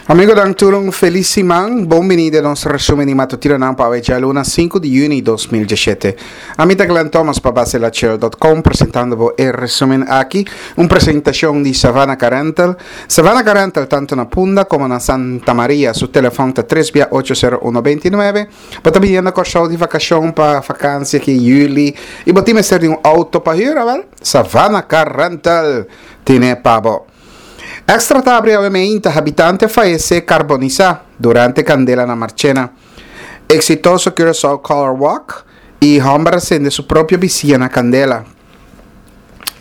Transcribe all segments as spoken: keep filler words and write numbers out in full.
Amigonan, tur un felis siman. Bon bini den nos resumen di matutinonan pa awe djaluna sinku di yüni dos mil diesshete. Ami ta Glenn Thomas pa baselachel dot com presentando bo e resumen aki, un presentacion di Savannah Car Rental. Savannah Car Rental tanto na Punda como na Santa Maria. Su telefon ta tres bia ocho sero uno binti nuebe. Bo ta biniendo Kòrsou di vakashon pa vakansia aki yüli i bo tin mester di un auto pa hür, awèl Savannah Car Rental tine pa bo. Extra ta abri awe meinta, habitante a fayesé karbonisá durante kandela na Marchena. Eksitoso Curaçao Color Walk i hòmber a sende su propio bisia na kandela.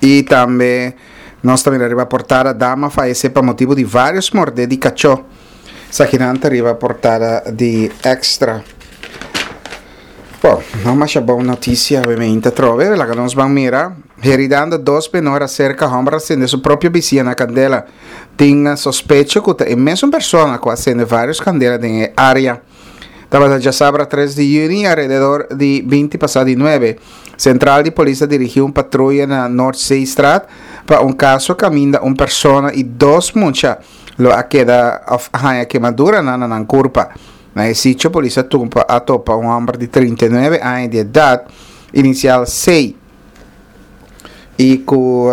I tambe nos ta mira riba portada, dama fayesé pa motibu di vários mordé di kachó. Esakinan ta riba portada di Extra. Bon, no masha bon notisia awe meinta atrobe, laga nos ban mira. Heridando dos menor aserka hòmber a sende su propio bisia na kandela. Tin sospecho ku ta e mesun persona ku a sende vários kandela den e área. Tabata djasabra tres di yüni alrededor di binti pasá di nuebe. Sentral di polis a dirigí un patruya na Noordzeestraat pa un kaso kaminda un persona i dos mucha lo a keda òf a haña kemaduranan na nan kurpa. Na e sitio polis a tumpa a topa un hòmber di trinta i nuebe aña di edat, inisial C, i ku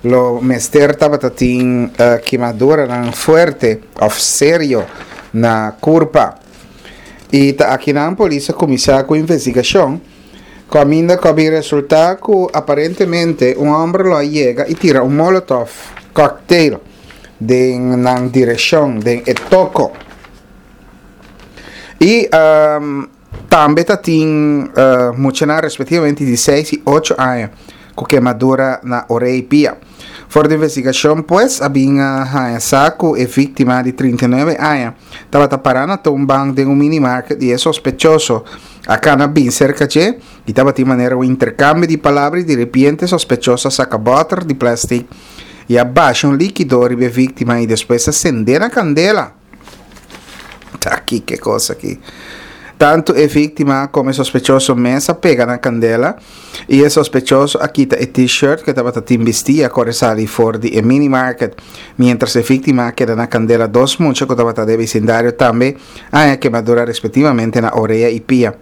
lo mester tabata tin kimaduranan fuerte òf serio na kurpa. I ta akinan polis a kuminsá ku investigashon, kaminda ku a bin resultá ku aparentemente un hòmber lo a yega i tira un molotov cocktail den nan direkshon den e toko. I tambe ta tin muchanan respektivamente di seis i ocho aña ku kemadura na orei i pia. For di investigashon pues a bin a haña sa ku e víktima di trinta i nuebe aña tabata pará na toonbank den un minimarket i e sospechoso a kana bin serka dje i tabatin manera un interkambio di palabra i diripiente e sospechoso a saka bòter di plèstik i a basha un líkido riba e víktima i despues a sendé na kandela. Ta kiko e kos aki? Tantu e víktima komo e sospechoso mes a pega na kandela i e sospechoso a kita e T-shirt ku e tabata tin bistí i a kore sali for di e minimarket. Miéntras e víktima a keda na kandela, dos mucha ku tabata den e bisindario tambe a haña kemadura respektivamente na orea i pia.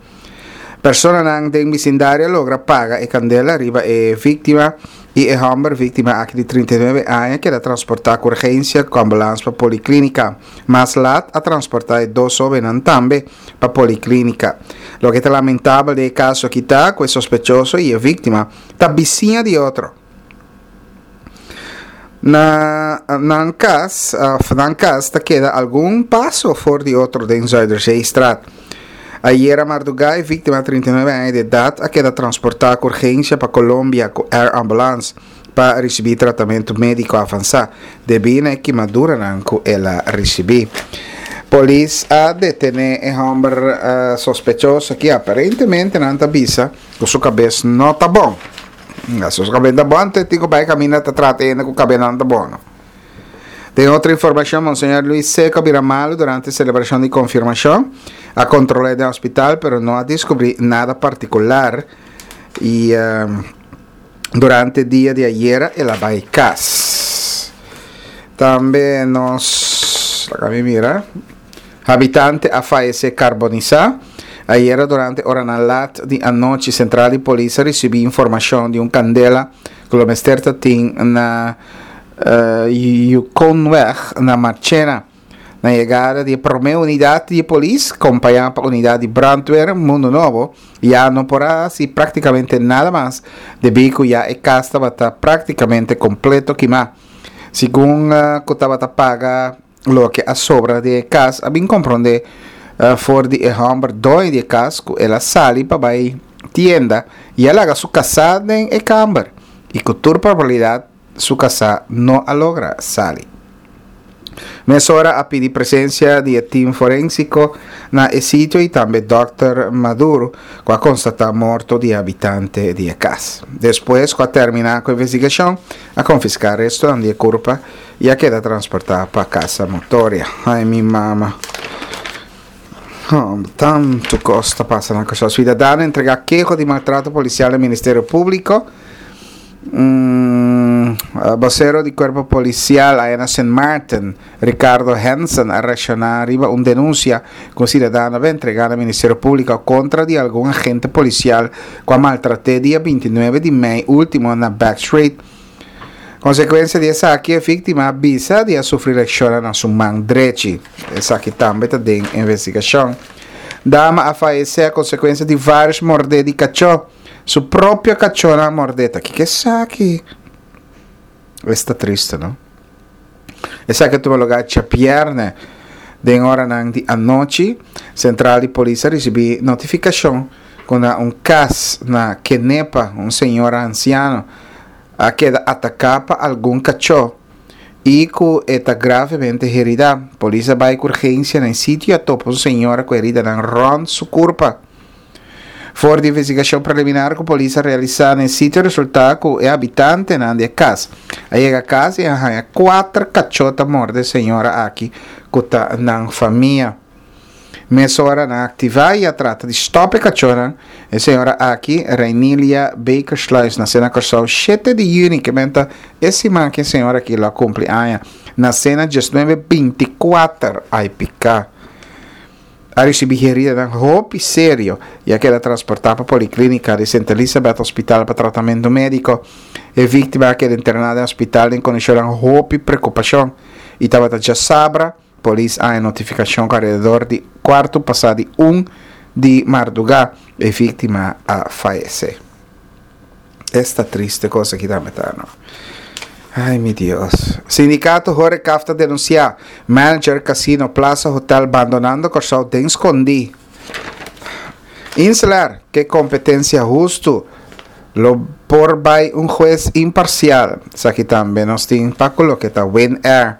Personanan den bisindario a logra paga e kandela riba e víktima i e hòmber víktima aki di trinta i nuebe aña keda transportá ku urgensia ku ambulans pa poliklínika. Mas lat a transportá e dos hóbennan tambe pa poliklínika. Loke ta lamentabel den e kaso aki ta ku e sospechoso i e víktima ta bisiña di otro. Na nan kas òf nan kas ta keda algun paso for di otro den Zuiderzeestraat. Ayera mardugá e víktima trinta i nuebe aña di edat a keda transportá ku urgensia pa Colombia ku air ambulance pa risibí tratamentu médiko avansá debí na e kimaduranan ku el a risibí. Polis a detené e hòmber sospechoso aki aparentemente nan ta bisa ku su kabes no ta bon. Su kabes ta bon anto e tin ku bai kaminda ta trata hende ku kabesnan ta bon. Den otro informashon, Monseñor Luis Seco a bira malu durante selebrashon di konfirmashon. A kontrol'é den hospital pero no a diskubrí nada partikular i durante dia di ayera el a bai kas. Tambe nos, laga mi mira, habitante a fayesé karbonisá. Ayera durante oranan lat di anochi sentral di polis a risibí informashon di un kandela ku lo mester ta tin na Yukonweg na Marchena. Na yegada di e promé unidat di e polis, kompañá pa unidat di brandweer Mundo Nobo, ya no por a hasi práktikamente nada mas debí ku ya e kas tabata práktikamente kompleto kimá. Segun ku tabata paga loke a sobra di e kas, a bin komprondé for di e hòmber doño di e kas ku el a sali pa bai tienda i a laga su kasá den e kamber i ku tur probabilidat su kasá no a logra sali. Mesora a pidi presensia di e tim forensiko na e sitio i tambe dòkter Maduro ku a konstatá morto di e habitante di e kas. Despues ku a terminá ku investigashon, a konfiská restonan di e kurpa i a keda transportá pa Casa Motoria. Ai mi mama. Tantu kos ta pasa na Kòrsou. Suidadano entregá keho di maltrato polisial na Ministerio Públiko. Mm. Um, Bosero di Kuerpo Polisial aya na Sint Maarten, Ricardo Hansen, a reakshoná riba un denunsia ku siudadano a entregá na Ministerio Públiko kontra di algun agente polisial ku a maltrat'é dia binti nuebe di mei último na Backstreet. Konsekuensia di esaki e víktima a bisa di a sufri leshon na su man drechi. Esaki tambe ta den investigashon. Dama a fayesé a konsekuensia di vários mordé di kachó. Su propio kachónan a mordé. Ta kiko esaki? Esta triste, no? Esaki a tuma lugá djabièrnè den oranan di anochi. Sentral di polis a risibí notifikashon ku na un kas na Kenepa un señora ansiano a keda ataká pa algun kachó i ku e ta gravemente heridá. Polis a bai ku urgensia na e sitio i a topa un señora ku heridanan rònt su kurpa. For di investigashon preliminar ku polis a realisá na e sitio a resultá ku e habitantenan di e kas a yega kas i a haña kuater kachó ta morde e señora aki ku ta nan famia. Mesora nan a aktivá i a trata di stòp e kachónan. E señora aki, Reinilia Bakersluis, nasé na Kòrsou shete di yüni, ke men ta e siman ku e señora aki lo a kumpli aña, nasé na diesnuebe binti kuater, ai piká. A risibí heridanan hopi serio i a keda transportá pa Poliklínika di Sint Elisabeth Hospital pa tratamentu médiko. E víktima a keda interná den hospital den kondishonnan hopi preokupashon i tabata djasabra polis a haña notifikashon ku alrededor di kuartu pasá di un di mardugá e víktima a fayesé. Esta triste kos aki tambe ta no. Ay mi Dios. Sindikato Horecaf ta denunsiá manager Casino Plaza Hotel bandonando Kòrsou den skondí. Inselair ke kompetensia hustu lo por bai un hues imparsial. Esaki tambe nos tin pa ku loke ta Winair.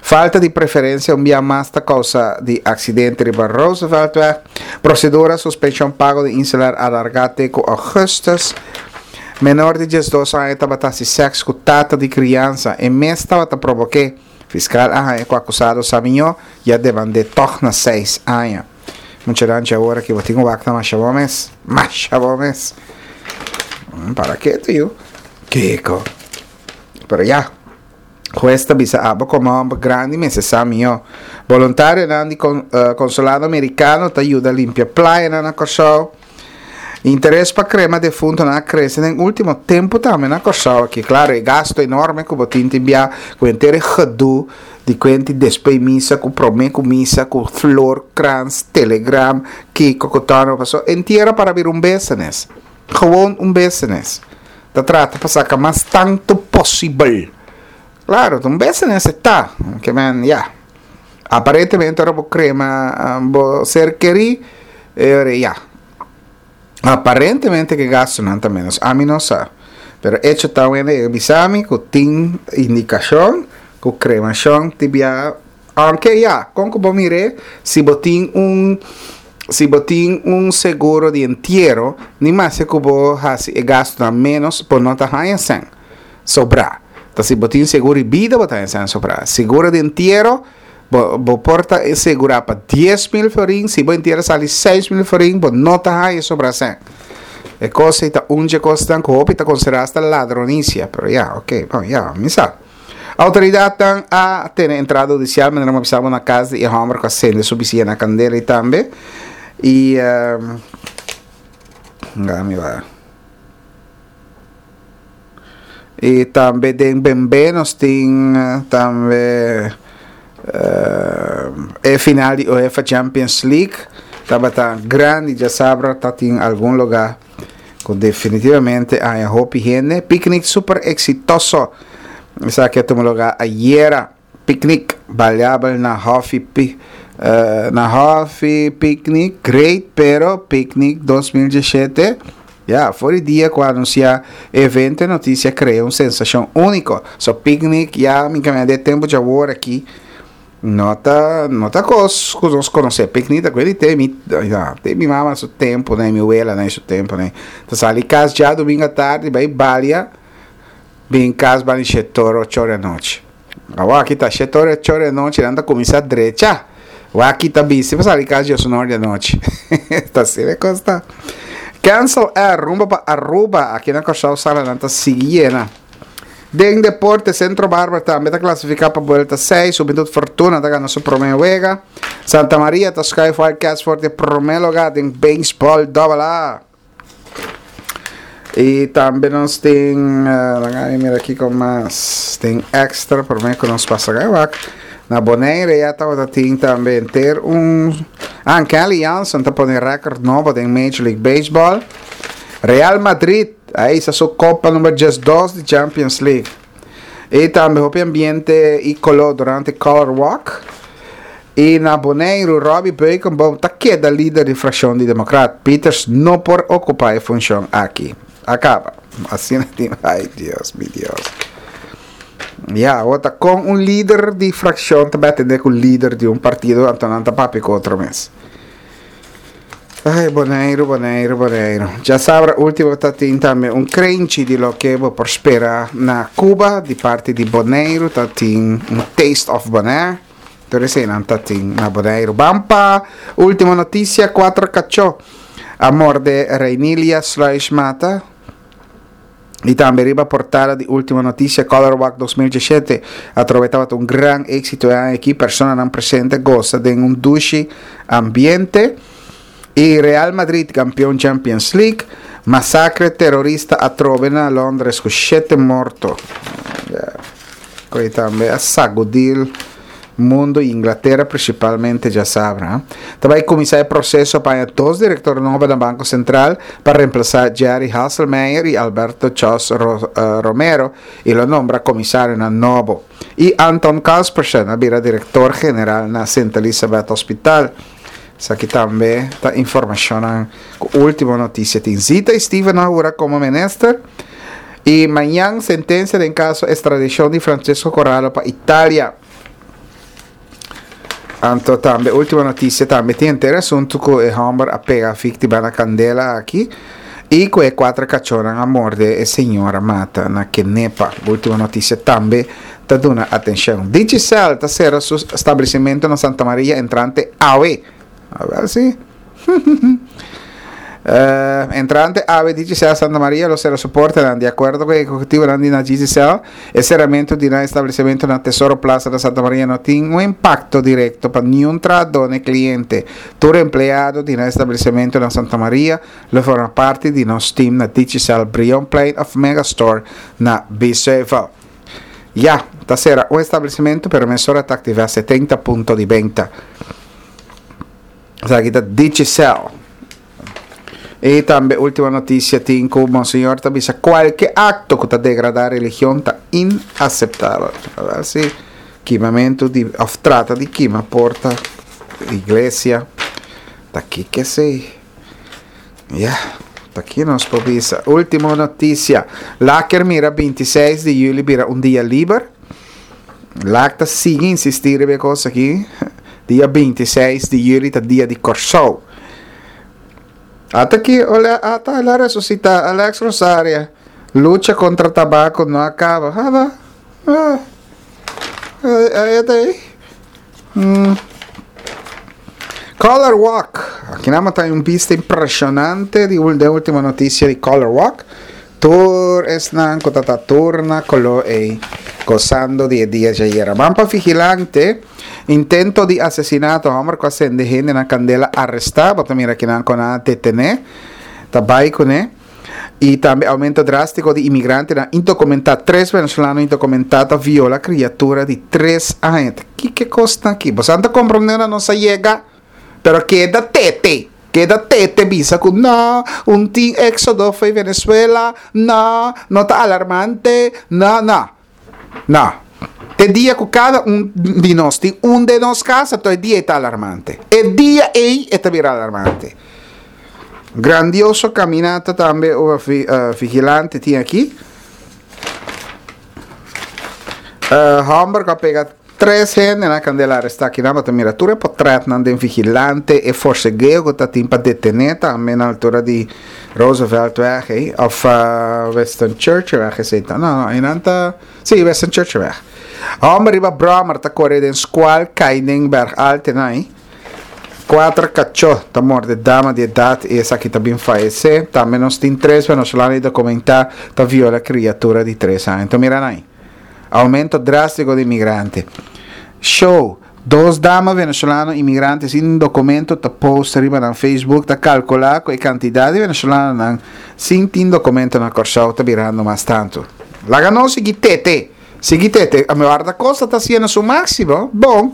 Falta di preferensia un bia mas ta kousa di aksidente riba Rooseveltweg. Prosedura suspenshon pago di Inselair alargá te ku ougùstùs. Menor di diesdos aña tabata hasi sèks ku tata di kriansa, e mes tabata probok'é. Fiskal a haña ku akusado sa miñó i a demand'é tòg na seis aña. Mucha danchi awor aki bo tin wak ta masha bon mes. Masha bon mes. Para ketu yu. Kiko. Pero ya. Hues ta bisa abo komo hòmber grandi mester sa miñó. Boluntarionan di Konsulado Merikano ta yuda limpia playanan na Kòrsou. Interes pa krema defuntonan a krese den último tempu tambe na Kòrsou aki. Klaro, e gasto enorme ku bo tin tin bia ku henter e gedu di kuenti despues misa ku promé ku misa ku flor, krans, telegram, kiko ku tòno paso entiero para bira un business. Gewoon un business. Ta trata pa saka mas tantu posibel. Klaro, ta un business e ta. Ke men, ya. Aparentemente ora bo krema bo ser kerí, e ora ya. Aparentemente ke gastunan ta menos. Ami no sa. Pero echo ta wende e bisa mi ku tin indikashon ku kremashon ti bia aunke ya, kon ku bo mir'é, si bo tin un si bo tin un seguro di entiero, ni maske ku bo hasi e gastunan menos, bo no ta haña sèn sobrá. Ta si bo tin seguro di bida bo ta haña sèn sobrá. Seguro di entiero Bo bo por ta segurá pa dies mil florin, si bo entiero sali seis mil florin, bo no ta haña sobra sèn. E kos ei ta un dje kosnan ku hopi ta konsiderá hasta ladronisia, pero ya, oke, bon, ya, mi sa. Outoridatnan a tene entrada hudisial manera mi a bisa bo na kas di e hòmber ku a sende su bisiña na kandela ei tambe. I, nga mi wak. Y tambe den Bembe nos tin tambe e final di UEFA Champions League tabata grandi djasabra ta tin algun lugar ku definitivamente a haña hopi hende. Picnic super exitoso esaki a tuma lugar ayera. Picnic baliabel na Hofi na Hofi Picnic great pero Picnic dos mil diesshete ya for di dia cu a anuncia e evento e noticia crea un sensacion unico so picnic ya mi camia de tempo djawor aki no ta no ta cos cu nos conoce picnic ta cuedi te mi ya te mi mama su tempo ne mi wela ne su tempo ne ta sali cas djadomingo atardi bay balia bin cas bani shete ora ocho ora anochi. Awor aki ta shete ora ocho ora di anochi nan ta kuminsá drecha. Wak ta bisti pa sali kas diosun ora di anochi. Ta asina e kos ta. Cancel Air rumbo pa Aruba. Aki na Kòrsou salanan ta sigui yena. Den deporte, Centro Barber tambe ta klasifiká pa buelta seis. Hubentud Fortuna ta gana su promé wega. Santa Maria ta skuif Wildcats for di promé lugá den beisbòl Double A. I tambe nos tin, uh, mira aki kon mas, tin extra, promé ku nos pasa wak. Na Bonaire ya tabata tin tambe henter un. Ah, Kenley Jansen ta pone record nobo den Major League Baseball. Real Madrid a hisa su kopa number diesdos di Champions League. I tambe hopi ambiente i koló durante Color Walk. I na Boneiru, Robby Beukenboom ta keda lider di frakshon di Demokrat. Pieters no por okupá e funshon aki. A kaba. Asina tin. Ai, Dios, mi Dios. Ya, ota kon un lider di frakshon ta atendé ku lider di un partido, anto nan ta papia ku otro mes. Ai, Boneiru, Boneiru, Boneiru. Djasabra último ta tin tambe un krenchi di loke bo por spera na Cuba, di parti di Boneiru, ta tin un Taste of Bonaire. Tur eseinan ta tin na Boneiru. Ban pa último notisia, kuater kachó a morde Reinilia Sluis mata. I tambe riba portada di Ultimo Noticia, Color Walk dos mil diesshete atrobe tabata un gran éxito aki, personanan presente gosa den un dushi ambiente. I Real Madrid kampeon Champions League. Masakre terorista atrobe na Londres ku shete morto. Koi tambe a sagudí mundu i Inglatera prinsipalmente djasabra. Ta bai kuminsá e proseso pa dos direktor nobo na Banko Sentral pa remplasá Jerry Hasselmeyer i Alberto Chos Romero i lo nombra komisarionan nobo. I Anton Kaspersen a bira direktor general na Sint Elisabeth Hospital. Esaki tambe ta informashonnan ku Ultimo Noticia tin. Zita i Steven a hura komo minister i mañan sentensia den kaso estradishon di Francesco Corallo pa Italia. Anto tambe Ultimo Noticia tambe tin henter asuntu ku e hòmber a pega víktima na kandela aki i ku e kuater kachónan a morde e señora mata na Kenepa. Ultimo Noticia tambe ta duna atenshon. Digicel ta sera su establesimentu na Santa Maria entrante awe. Awel si. Entrante awe Digicel Santa Maria lo sera su portanan. Di akuerdo ku e ehekutivonan di na Digicel, e seramentu di nan establesimentu na Tesoro Plaza na Santa Maria no tin un impakto direkto pa niun trahadó ni kliente. Tur empleado di nan establesimentu na Santa Maria lo forma parti di nos tim na Digicel Brionplein òf Megastore na Biesheuvel. Ya, ta sera un establesimentu pero mesora ta aktivá setenta punto di benta. Esaki ta Digicel. I tambe Ultimo Noticia tin ku Monseñor ta bisa kualke akto ku ta degradá religion ta inaseptabel. A si kimamentu di òf trata di kima porta iglesia ta kiko esei? Ya, ta ki nos por bisa. Ultimo Noticia, Laker mira binti seis di yüli bira un dia liber. Lak ta sigui insistí riba e kos aki. Dia binti seis di yüli ta dia di Kòrsou. Ata ki ata el a resusitá Alex Rosaria. Lucha kontra tabako no a kaba. Haba. Ah. Ahí ta ahí. Mm. Color Walk. Aki nan ta un bista impresionante di de Ultimo Noticia di Color Walk. Tur esnan ku ta ta tur na koló ei gosando di e dia djayera. Ban pa Vigilante. Intento di asesinato, hòmber ku a sende hende na kandela arestá. Bo ta mira kinan ku nan a detené. Ta bai kuné. I tambe aumento drástiko di imigrantenan indokumentá. Tres venezolano indokumentá ta viola kriatura di tres aña. Ta kiko e kosnan aki? Boso a ta komprondé ora nos a yega? Pero keda tete, keda tete bisa ku no, un tin éxodo fo'i Venezuela, no, no ta alarmante, no, no. No. Te dia ku kada un di nos tin un den nos kas, anto e dia ei ta alarmante. E dia ei e ta bira alarmante. Grandioso kaminata tambe Vigilante tin aki. Hòmber ku a pega Tres hende na kandela arestá kinan bo ta mira tur e potretnan den vigilante e forsegeo ku ta tin pa detené tambe na altura di Rooseveltweg ei òf Winston Churchillweg esei ta no no einan ta si Winston Churchillweg. Hòmber riba bròmer ta kore den skual kai den Berg Altenai. Kuater kachó ta morde dama di edat i esaki ta bin fayesé. Tambe nos tin tres venezolano indokumentá ta viola kriatura di tres aña. Enton mira nan ei. Oumento drástiko di migrante. Show, Dos dama venezolano imigrante sin dokumento ta post riba nan Facebook ta kalkulá ku e kantidat di venezolanonan sin tin dokumento na Kòrsou ta birando mas tantu. Laga nos sigui tete. Sigui tete. Mi warda kosta ta hasiendo su máksimo. Bon.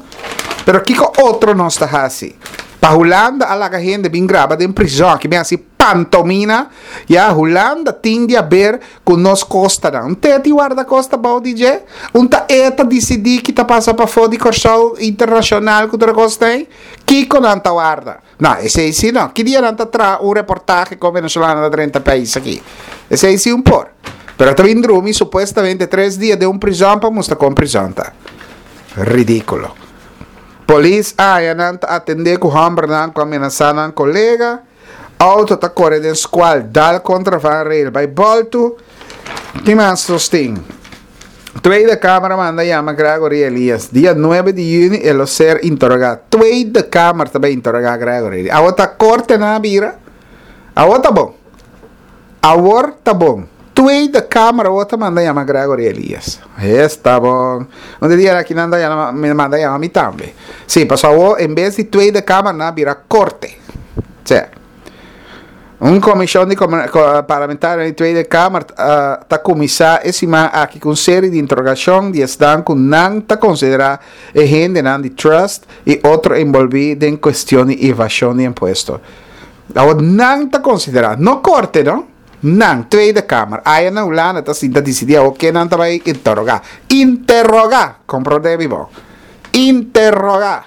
Pero kiko otro nos ta hasi? Pa Hulanda a laga hende bin graba den prizòn, ki bin hasi pantomina, ya Hulanda tin di haber ku nos kostanan. Un te di warda kosta bou di dje? Un ta e ta disidí ki ta pasa pafó di Kòrsou internashonal ku tur e kos ei? Kiko nan ta warda? No, esei si no. Ki dia nan ta traha un reportahe kon venezolano ta drenta pais aki? Esei si un por. Pero ta bin drumi supuestamente tres dia den un prizòn pa mustra kon prizòn ta. Ridíkulo. Polis a haña nan ta atendé ku hòmbernan ku a menasá nan kolega. Outo ta kore den skual, dal kontra vangrail bai bòltu. Ki mas nos tin? Tweede Kamer a manda yama Gregory Elias. Dia nuebe di yüni e lo ser interogá. Tweede Kamer ta bai interogá Gregory. Awor ta korte nan a bira? Awor ta bon. Awor ta bon. Tweede Kamer awor ta manda yama Gregory Elias. Esta bon. Un di dia aki nan ta yama, manda yama mi tambe. Sí, pasobra awor en bes di Tweede Kamer nan a bira korte. Sea. Un komishon di parlamentario di Tweede Kamer ta kuminsá e siman aki ku un seri di interogashon di esnan ku nan ta konsiderá e hendenan di trust i otro enbolbí den kuestion di evashon di impuesto. Awor nan ta konsiderá, no korte no, nan, Tweede Kamer, aya na Hulanda ta sinta disidí awor ken nan ta bai interogá. Interogá! Komprondé mi bon. Interogá!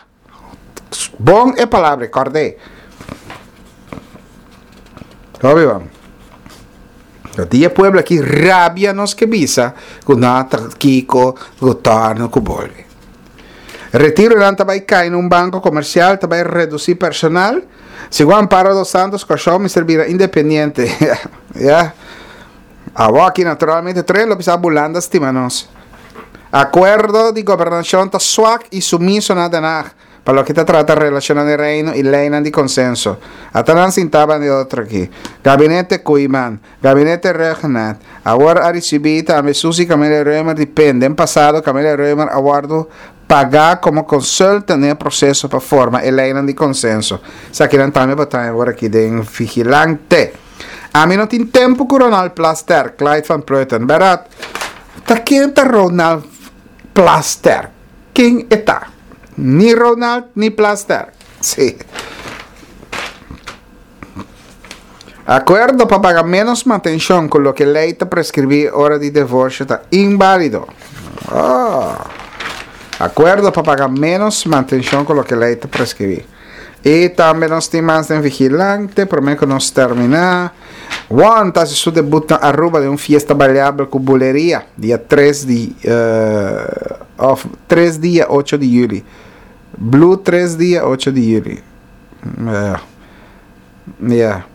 Bon e palabra, kòrd'é. Hopi bon. No di e pueblo aki rabia nos ke bisa ku no ta kiko ku torno ku bolbe. Retironan ta bai kai na un banko komersial ta bai redusí personal. Segun Amparo dos Santos Kòrsou mester bira independiente. Ya. Awor aki naturalmente tres lo bisa Bulanda stima nos. Akuerdo di gobernashon ta swak i sumiso na Den Haag. Pa loke ta trata relashonnan di Reino i leinan di konsenso. Ata nan sintá banda di otro aki. Gabinete Koeiman, Gabinete Rhuggenaath, awor a risibí tambe Suzy Camelia Römer di pen. Den pasado Camelia Römer a wòrdu pagá komo consultant den e proseso pa forma e leinan di konsenso. Esakinan tambe bo ta awor aki den Vigilante. Ami no tin tempu ku Ronald Plasterk, Clyde van Putten. Bèrdat? Ta ken ta Ronald Plasterk? Ken e ta? Ni Ronald ni Plasterk. Sí. Akuerdo pa paga ménos mantenshon ku loke lei ta preskribí ora di divorsio ta inbálido. Oh. Akuerdo pa paga ménos mantenshon ku loke lei ta preskribí. I tambe nos tin mas den Vigilante, promé ku nos terminá. One ta hasi su debut na Aruba den un fiesta baliabel ku buleria, dia tres di òf tres dia ocho di yüli. Blue tres dia ocho di yüli. Ya.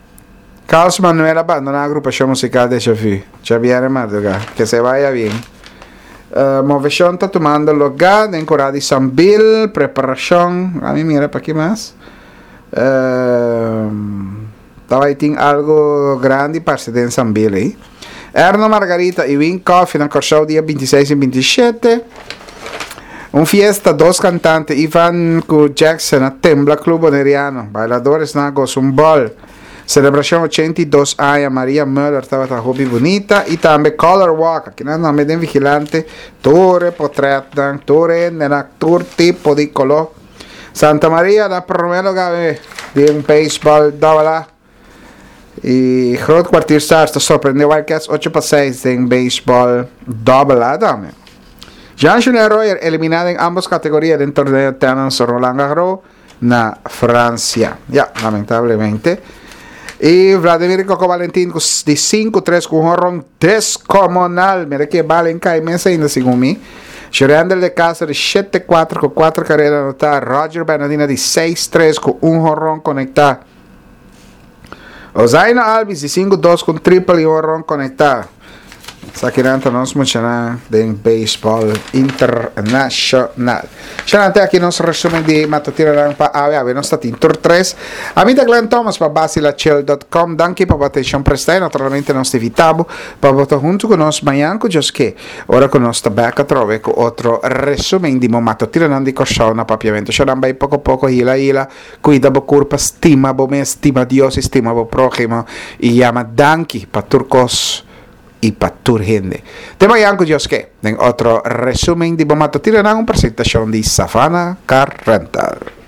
Carlos Manuel a bandoná agrupashon musikal Deja Vu djabièrnè madrugá. Que se vaya bien. Moveshon ta tumando lugá den Kurá di Sambil, preparashon, ami mira pa ki mas. Ta bai tin algu grandi parse den Sambil ei. Erno Margarita i Win Coffee na Kòrsou dia binti seis i binti shete. Un fiesta, dos kantante, Ivan ku Jackson a tembla Club Boneriano. Bailadoresnan a gosa un bòl. Selebrashon ochenta i dos aña Maria Muller tabata hopi bunita i tambe Color Walk. Akinan tambe den Vigilante tur e potretnan, tur e hendenan, tur tipo di koló. Santa Maria na promé lugá den beisbòl dòbel A. I Groot Kwartier Stars ta sorprende Wildcats ocho pa seis den beisbòl dòbel A tambe. Jean-Julien Rojer eliminá den ambos kategoria den torneo tènis Roland Garros na Francia. Ya, lamentablemente. I Vladimir Coco Valentin ku di sinku tres ku un honron deskomunal. Mira ke bal en kai mes ainda segun mi. Shurendel de Castro di shete kuater ku kuater karera anotá. Roger Bernadina di seis tres ku un honron konektá. Ozaino Albies di sinku dos ku un triple i un honron konektá. Esakinan ta nos muchanan den baseball internacional. Shanante aki nos resumen di matutinonan pa awe. Awe nos ta tin tur tres. Ami ta Glenn Thomas pa Basilachel punto com. Danki pa bo atencion presta y naturalmente nos ta invita bo pa bo ta hunto cu nos mañan cu Dios ke. Ora cu nos ta bek atrobe cu otro resumen di bo matutinonan di Corsou na Papiamento. Shanan bay poco poco hila hila. Cuida bo curpa, stima bo mes, stima Dios y stima bo prójimo. Y yama danki pa tur cos y pa tur hende. Te mañan cu Dios ke, den otro resumen di bo matutinonan, un presentacion di Savannah Car Rental.